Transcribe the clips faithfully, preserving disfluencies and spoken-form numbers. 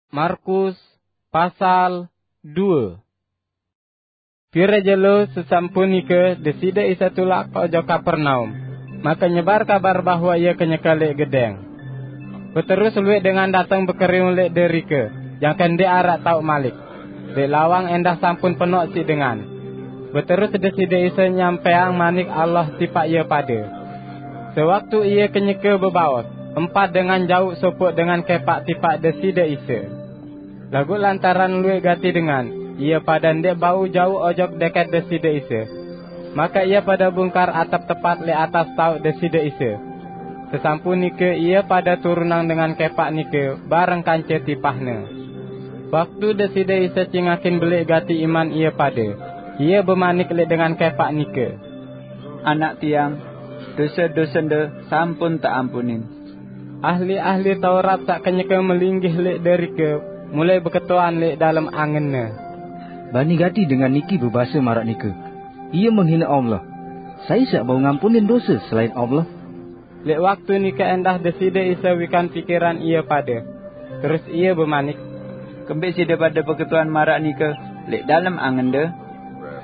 Markus pasal due. Pire jelo sesampunike Deside Isa tulak ojok Kapernaum, make nyebar kabar bahwa Ia kenyeke leq gedeng. Beterus lueq dengan dateng bekeriung leq derike, jangke ndeq araq taoq malik. Leq lawang endah sampun penoq siq dengan. Beterus Deside Isa nyampeang Manik Allah tipaq ie pade. Sewaktu Ie kenyeke bebaos, empat dengan jauq sopoq dengan kepaq tipaq Deside Isa. Laguq lantaran lueq gati dengan, ie pade ndeq bau jauq ojok deket Deside Isa. Make ie pade bungkar atep tepat leq atas taoq Deside Isa. Sesampun nike ie pade turunang dengan kepaq nike bareng kance tipahne. Waktu Deside Isa cingakin beleq gati iman ie pade, Ie bemanik leq dengan kepaq nike, "Anak Tiang, dose-dosende sampun teampunin." Ahli-ahli Taurat saq kenyeke melinggih leq derike, mulai beketuan leq dalem angenne, "Bani gati dengan niki bebase maraq nike, 'Ie menghine Allah. Sai saq bau ngampunin dose selain Allah?'" Leq waktu nike endah Deside Isa wikan pikiran ie pade. Terus Ie bemanik, "Kembeq side pade beketuan maraq nike leq dalem angende?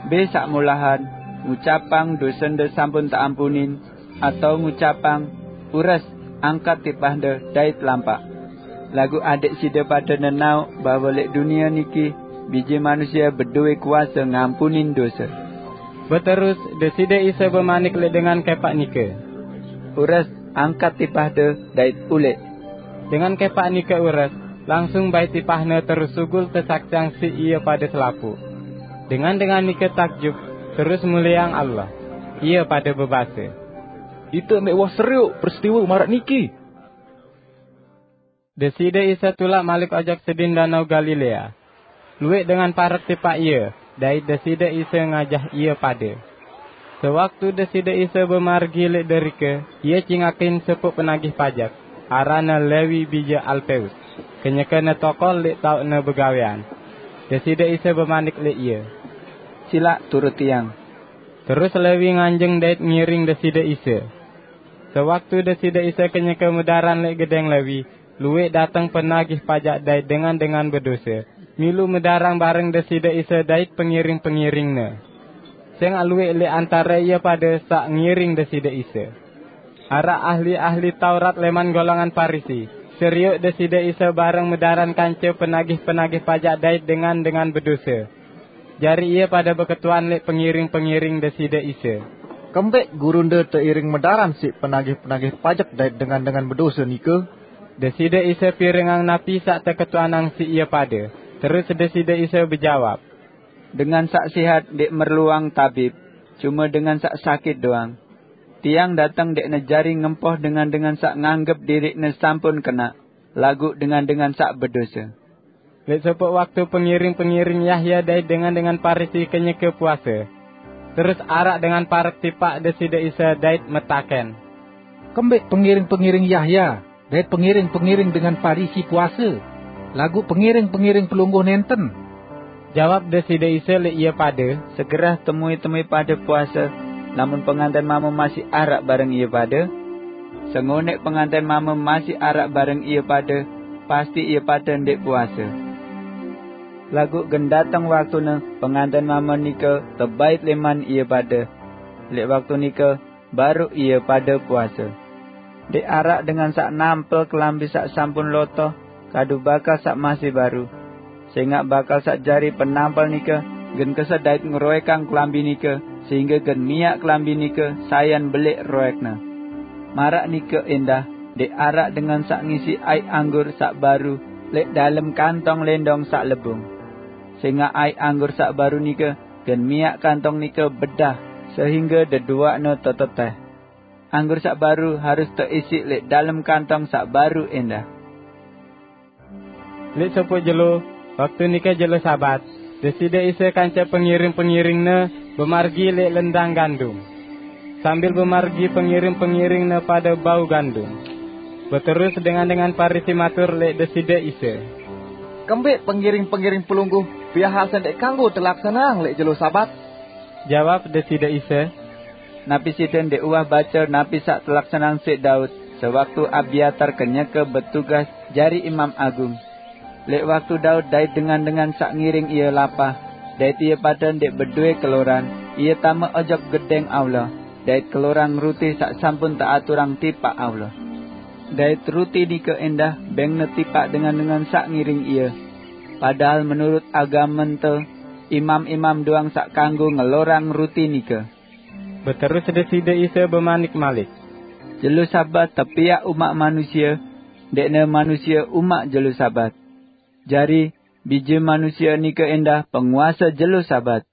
Mbe saq molahan, ngucapang, 'Dosende sampun teampunin,' atao ngucapang, 'Ures, angkat tipahde dait lampaq'? Laguq adeq side pade nenaoq bahwe leq dunie niki Bije Manusie bedowe kuase ngampunin dose." Beterus Deside Isa bemanik leq dengan kepaq nike, "Ures, angkat tipahde dait uleq." Dengan kepaq nike ures, langsung bait tipahne terus sugul tesaksiang siq ie pade selapuq. Dengan-dengan nike takjub, terus mulieang Allah. Ie pade bebase, "Ite ndeq uwah serioq peristiwe maraq niki." Deside Isa tulak malik ojok sedin Danau Galilea. Lueq dengan parek tipaq Ie, dait Deside Isa ngajah ie pade. Sewaktu Deside Isa bemargi leq derike, Ie cingakin sopoq penagih pajek, aranne Lewi bije Alpeus, kenyekene tokol leq taoqne begawean. Deside Isa bemanik leq ie, "Silaq turut Tiang." Terus Lewi nganjeng dait ngiring Deside Isa. Sewaktu Deside Isa kenyeke medaran leq gedeng Lewi, lueq dateng penagih pajek dait dengan-dengan bedose, milu medarang bareng Deside Isa dait pengiring-pengiring-Ne. Sengaq lueq leq antare ie pade saq ngiring Deside Isa. Araq ahli-ahli Taurat leman golongan Parisi, serioq Deside Isa bareng medaran kance penagih-penagih pajek dait dengan-dengan bedose. Jari ie pade beketuan leq pengiring-pengiring Deside Isa, "Kembeq Gurunde teiring medaran siq penagih-penagih pajek dait dengan-dengan bedose nike?" Deside Isa pirengang napi saq teketuanang siq ie pade. Terus Deside Isa bejawab, "Dengan saq sehat ndeq merluang tabib, cume dengan saq sakit doang. Tiang dateng ndeqne jari ngempoh dengan-dengan saq nganggep diriqne sampun kenaq, laguq dengan-dengan saq bedose." Leq sopoq waktu pengiring-pengiring Yahya dait dengan-dengan Parisi kenyeke puase. Terus araq dengan parek tipaq Deside Isa dait metaken, "Kembeq pengiring-pengiring Yahya dait pengiring-pengiring dengan Parisi puase, laguq pengiring-pengiring Pelungguh nenten?" Jawab Deside Isa leq ie pade, "Segerah temui-temui pade puase, lamun penganten mame masih araq bareng ie pade? Sengoneq penganten mame masih araq bareng ie pade, pasti ie pade ndeq puase. Laguq gen dateng waktune penganten mame nike tebait leman ie pade. Leq waktu nike baruq ie pade puase. Ndeq araq dengan saq nampel kelambi saq sampun lotoh kadu bakal saq masih baru. Sengaq bakal saq jari penampel nike gen kesedait ngeroekang kelambi nike, sehingge gen miaq kelambi nike sayan beleq roekne. Maraq nike endah, ndeq araq dengan saq ngisi aiq anggur saq baru leq dalem kantong lendong saq lebung. Sengaq aiq anggur saq baru nike gen miaq kantong nike bedah, sehingge deduaqne teteteh. Anggur saq baru harus teisiq leq dalem kantong saq baru endah." Leq sopoq jelo, waktu nike jelo Sabat, Deside Isa kance pengiring-pengiring-Ne bemargi leq lendang gandum. Sambil bemargi, pengiring-pengiring-Ne pade bau gandum. Beterus dengan-dengan Parisi matur leq Deside Isa, "Kembeq pengiring-pengiring Pelungguh biase ndeq kanggo telaksaneang leq jelo Sabat?" Jawab Deside Isa, "Napi side ndeq uwah bace napi saq telaksaneang siq Daud sewaktu Abiatar kenyeke betugas jari imam agung? Lek waktu Daud dait dengan-dengan sak ngiring ia lapah, dait ia pade ndek bedoe keloran, ia tame ojok gedeng Allah, dait kelorang ruti sak sampun teaturang tipak Allah. Dait ruti nike endah bengne tipak dengan-dengan sak ngiring ia. Padahal menurut agam mente, imam-imam doang sak kanggo ngelorang ruti nike. Beterus Deside Isa bemanik malik, "Jelo Sabat tepiak umak manusia, ndekne manusia umak jelo Sabat. Jari, Bije Manusia nike endah penguase jelo Sabat."